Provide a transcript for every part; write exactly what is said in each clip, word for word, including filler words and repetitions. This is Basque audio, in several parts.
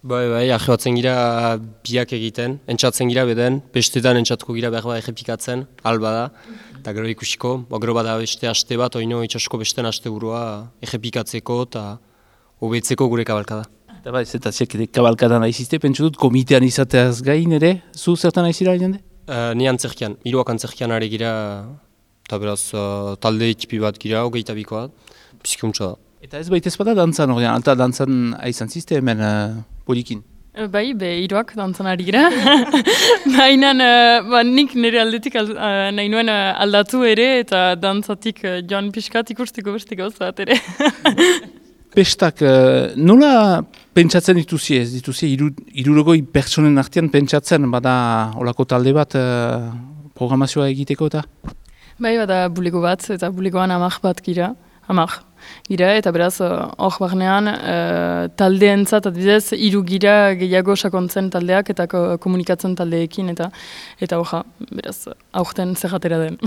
Bai, bai, ahibatzen gira biak egiten, entzatzen gira beden, bestetan entzatuko gira behar bat errepikatzen, alba da, eta gero ikusiko, bo, gero bada beste aste bat, oino itxasko besten aste burua errepikatzeko eta hobetzeko gure kabalkada. Eta bai, zetaziak kabalkada nahi zizte, pentsu dut, komitean izateaz gain ere, zu zertan nahi zira jende? Uh, ni antzerkian, hiruak antzerkian ari gira, eta beraz uh, talde ekipi bat gira, hogeita bikoa, pizkuntza da. Eta ez baita ez bada dantzan ordean, alta dantzan aizan zizte hemen uh, polikin? Bai, be hiruak dantzan ari gira. Baina uh, ba, nik nire aldetik al, uh, nahi nuen uh, aldatu ere eta dantzatik uh, joan pixkat ikustiko beste gauza bat ere. Pestak, uh, nola pentsatzen dituzi ez? Dituzi hirurogei pertsonen artean pentsatzen bada olako talde bat uh, programazioa egiteko eta? Bai, bada bulego bat eta bulegoan amak bat gira, amak. Gira, eta beraz, hor barnean, uh, taldeentzat, adibidez, hiru gira gehiago sakontzen taldeak eta ko, komunikatzen taldeekin, eta eta hoja, beraz, aurten zerratera den.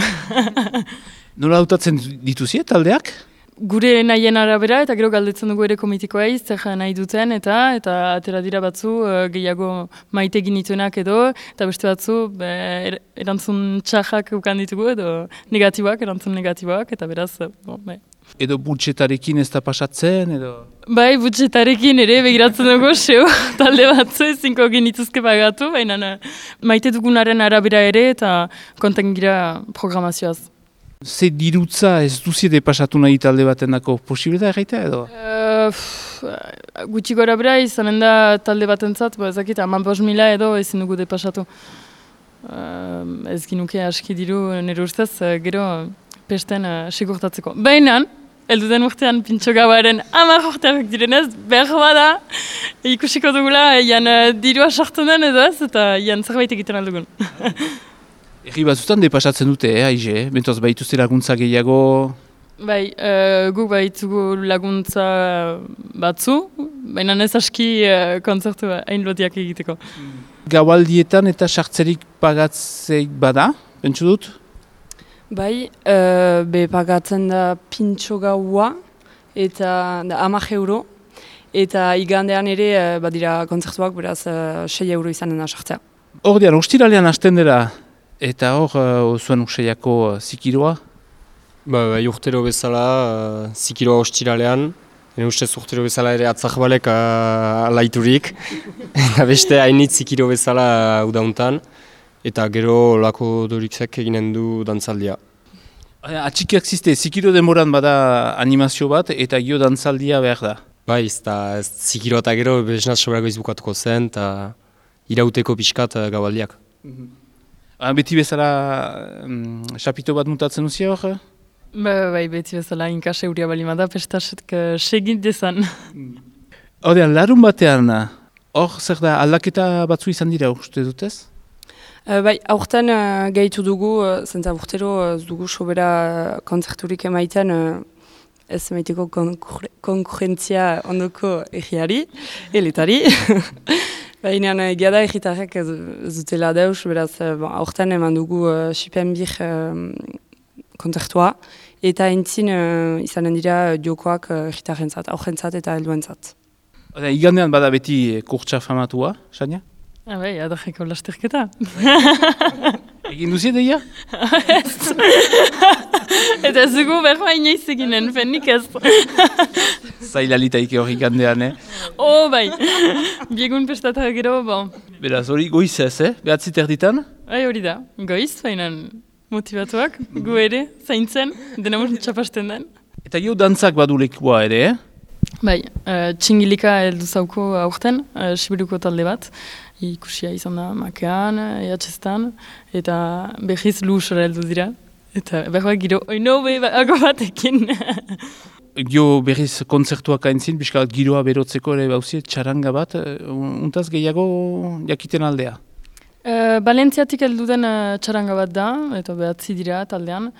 Nola hautatzen dituzie taldeak? Gure nahien arabera, eta gero galdetzen dugu ere komitikoa zer nahi duten, eta eta atera dira batzu uh, gehiago maite ginituenak edo, eta beste batzu be, er, erantzun txarrak ukan ditugu, edo negatiboak, erantzun negatiboak, eta beraz, bon, be. Edo budgetarekin ez da pasatzen, edo? Bai, budgetarekin ere begiratzen dugu, seo, talde batzu ezinko genituzke pagatu, baina maite dugunaren arabera ere eta konten gira programazioaz. Ze dirutza ez duziede pasatu nahi talde batendako posible da erraita, edo? Uh, gutxi gora bera izanen da talde batentzat, ba, ezakit, haman bost mila edo ezin dugu de pasatu. Uh, ez ginuke aski diru nire ustez, uh, gero pesten uh, sigurtatzeko. Baina, elduden urtean pintxo gauaren hamar urteak direnez, behar bada, ikusiko dugula, ian uh, dirua sartu den edo ez, eta ian zerbait egiten aldugun. Eri batzutan depasatzen dute, eh, aize, eh? Bentoz baituzte laguntza gehiago? Bai, uh, gu baitugu laguntza batzu, baina ez aski uh, kontzertu hain lotiak egiteko. Gaualdietan eta sartzerik pagatzeik bada, pentsu dut? Bai, uh, be pagatzen da pintxo gaua eta hamak euro, eta igandean ere uh, badira kontzertuak, beraz uh, sei euro izanen da sartzea. Hor dian, ostiralean hasten dira, eta hor uh, zuen usaiako uh, zikiroa? Ba, ba, urtero bezala, uh, zikiroa ostiralean, ene ustez urtero bezala ere atzakbalek uh, alaiturik, eta beste hainitz zikiro bezala uh, udauntan. Eta gero lako dorikzek eginen du dantzaldia. Atxikiak ziste, zikiro demoran bada animazio bat eta gio dantzaldia behar da? Bai, ez da, ez zikiro eta gero beznaz sobrago izbukatuko zen eta irauteko pixkat gaualdiak. Mm-hmm. ah, beti bezala um, xapito bat mutatzen duzia hor? Ba, bai, beti bezala inkase huria balimada, pestaset segit dezan. Horrean, larun batean, hor zer da aldaketa batzu izan dira uste dutez? Uh, bai, aurten uh, gehitu dugu, uh, zentza urtero uh, dugu sobera uh, kontzerturik emaiten, uh, ez emaiteko konkurrentzia ondoko egiari, eletari. Baina egia da egitarrek ez dutela deus, beraz uh, bon, aurten eman dugu uh, Sipenbir uh, kontzertua, eta entzin uh, izanen dira jokoak uh, egitarrentzat, aurrentzat eta helduentzat. Igandean bada beti kurtsa famatua, Sania? Ah, bai, adarreko lasterketa. Egin duzi deia? Ez. Eta ez dugu berma inoiz eginen, fenik ez. Zailalitaik hori gandean, eh? Oh, bai. Biegun pestatak gero, bon. Beraz, hori goiz ez, eh? Behatzit erditan? Bai, hori da. Goiz, fainan motivatuak, gu ere, zaintzen, dena mun txapasten den. Eta gio dantzak badu lekua ere, eh? Bai, uh, txingilika heldu zauko aurten, uh, Sibiruko talde bat. Ikusia izan da Makean, Ehatxestan, eta behiz lusora heldu dira. Eta behar giro, oino behago batekin. Gio berriz kontzertuak aintzin, bizkalat giroa berotzeko ere bauzi, txaranga bat, untaz gehiago jakiten aldea? Uh, Balentziatik heldu den uh, txaranga bat da, eta behatzi dira taldean,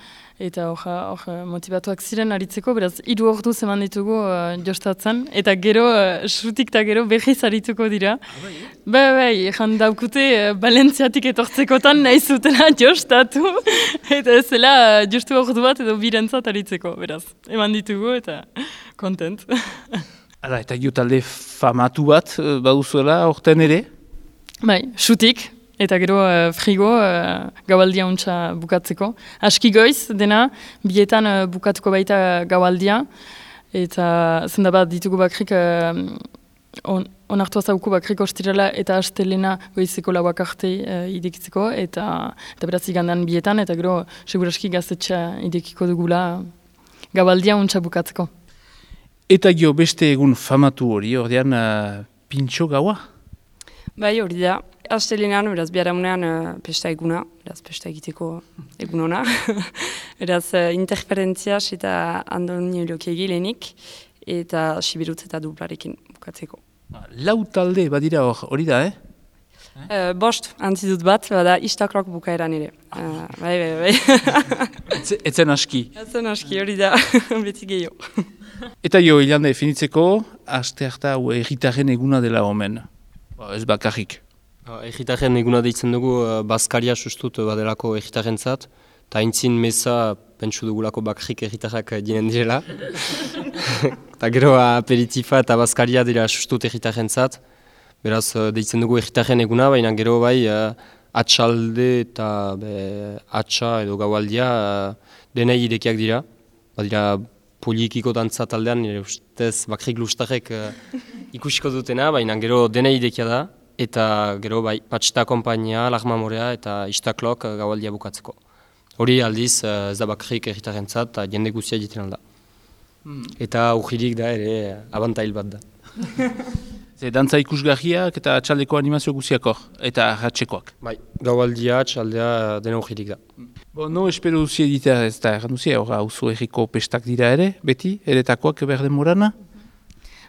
eta hor motivatuak ziren aritzeko, beraz, hiru ordu zeman ditugu uh, jostatzen, eta gero, uh, sutik eta gero behiz arituko dira. Bai, bai, ezan daukute uh, Balentziatik etortzekotan nahi zutela jostatu, eta ez zela uh, jostu ordu bat edo birentzat aritzeko, beraz, eman ditugu eta kontent. Hala, eta gio talde famatu bat eh, baduzuela orten ere? Bai, xutik, eta gero uh, frigo uh, gaualdia untsa bukatzeko. Aski goiz dena, bietan uh, bukatuko baita gaualdia, eta zenda bat ditugu bakrik uh, on, onartua zauku bakrik ostirela eta astelena goizeko lauak arte uh, idekitzeko, eta, eta beraz igandan bietan, eta gero seguraski gaztetxa idekiko dugula gaualdia untsa bukatzeko. Eta gio beste egun famatu hori, ordean uh, pintxo gaua? Bai, hori da. Astelenean, beraz, biharamunean uh, pesta eguna, beraz, pesta egiteko egun hona. Beraz, uh, interferentziaz eta Andoni Lokiegi lehenik, eta Sibirutz eta Duplarekin bukatzeko. Lau talde badira hor, hori da, eh? Uh, bost, antzidut bat, bada istaklok bukaeran ere. Uh, bai, bai, bai. Etze, etzen aski. Etzen aski, hori da, beti gehiago. Eta jo, hilande definitzeko, aste harta erritaren eguna dela omen. Ba, ez bakarrik. Egitaren eguna deitzen dugu, uh, Baskaria sustut badelako egitaren zat, eta haintzin meza pentsu dugulako bakrik egitarrak dinen direla. Eta gero aperitifa eta Baskaria dira sustut egitaren zat, beraz uh, deitzen dugu egitaren eguna, baina gero bai uh, atxalde eta be, atxa edo gaualdia uh, denei irekiak dira. Badira polikiko dantza taldean, nire ustez bakrik lustarek uh, ikusiko dutena, baina gero denei irekia da. Eta gero bai, Patxita Kompainia, Larma Morea eta Istaklok gaualdia bukatzeko. Hori aldiz, ez da bakrik erritarentzat eta jende guztia egiten alda. Hmm. Eta urririk da ere abantail bat da. Ze dantza ikusgarriak eta txaldeko animazio guztiak hor, eta ratxekoak. Bai, gaualdia, txaldea dena urririk da. Bo, no espero duzi editea ez da, erran duzi, hor hauzo erriko pestak dira ere, beti, eretakoak berden morana?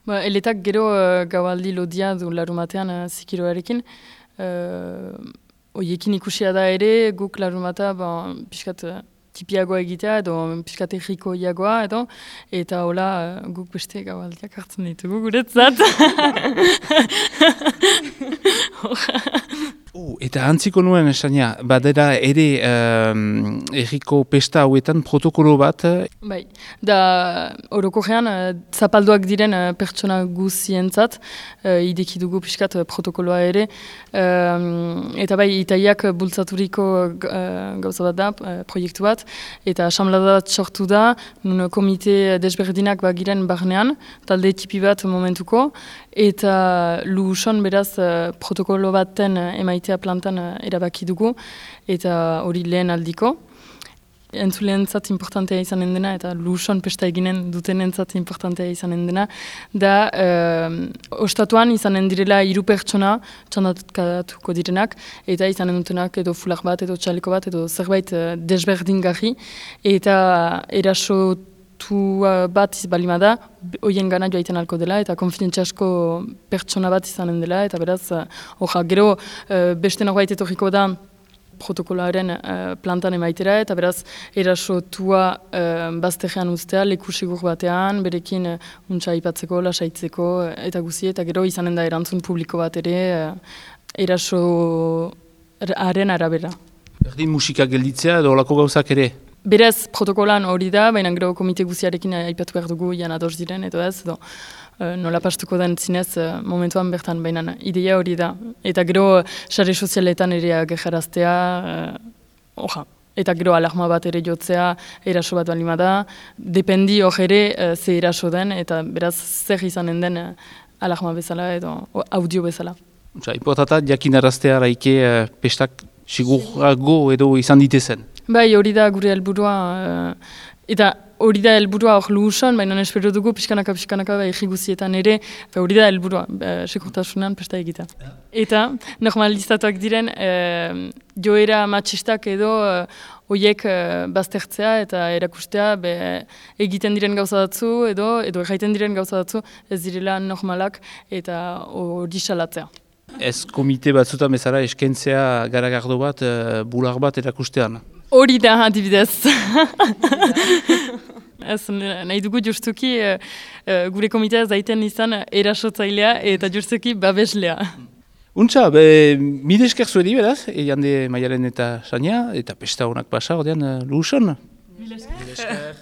Ba, eletak gero uh, gaualdi lodia du larumatean uh, zikiroarekin. Uh, oiekin ikusia da ere, guk larumata ba, pixkat uh, tipiagoa egitea edo pixkat erriko iagoa edo, eta hola uh, guk beste gaualdiak hartzen ditugu guretzat. Uh, eta antziko nuen esania, badera ere um, erriko pesta hauetan protokolo bat? Bai, da orokorrean uh, zapalduak diren uh, pertsona guzientzat, uh, ideki dugu pixkat uh, protokoloa ere, um, eta bai itaiak bultzaturiko uh, gauza bat da, uh, proiektu bat, eta asamblada bat sortu da, nun komite desberdinak bagiren barnean, talde tipi bat momentuko, eta luson beraz uh, protokolo baten uh, emaitea plantan uh, erabaki dugu, eta hori lehen aldiko. Entzulentzat importantea izanen dena, eta luson pesta eginen dutenentzat importantea izanen dena, da uh, ostatuan izanen direla hiru pertsona txandatkatuko direnak, eta izanen dutenak edo fular bat, edo txaliko bat, edo zerbait uh, desberdingarri, eta eraso tu bat balima da, hoien gana joaiten alko dela, eta konfidentziasko pertsona bat izanen dela, eta beraz, uh, gero uh, beste norbait etorriko da protokoloaren uh, plantan emaitera, eta beraz, erasotua uh, bazterrean ustea, leku sigur batean, berekin uh, untsa aipatzeko, lasaitzeko, eta guzi, eta gero izanen da erantzun publiko bat ere, uh, erasoaren arabera. Berdin musika gelditzea edo olako gauzak ere? Berez protokolan hori da, baina gero komite guziarekin aipatu behar dugu ian ados diren, edo ez, edo uh, nola pastuko den zinez uh, momentuan bertan, baina ideia hori da. Eta gero sare sozialetan ere agerraraztea, uh, oja, eta gero alarma bat ere jotzea, eraso bat balima da, dependi hor ere uh, ze eraso den, eta beraz zer izanen den uh, alarma bezala edo audio bezala. Osa, importanta jakinaraztea araike uh, pestak sigurago edo izan ditezen. Bai, hori da gure helburua, uh, eta hori da helburua hor luhusan, baina espero dugu pixkanaka pixkanaka bai guzietan ere, hori da helburua, uh, sekurtasunan pesta egita. Ja. Eta normalizatuak diren uh, joera matxistak edo uh, oiek uh, baztertzea eta erakustea be, egiten diren gauza datzu edo edo erraiten diren gauza datzu ez direla normalak eta hori salatzea. Ez komite batzutan bezala eskentzea garagardo bat, uh, bular bat erakustean? Hori da, adibidez. Ez, nahi dugu justuki uh, gure komitea zaiten izan erasotzailea eta justuki babeslea. Untza, be, mide esker zuedi beraz, Jande Maialen eta Sania, eta pesta honak pasa, ordean, uh, luhuson? Mide esker.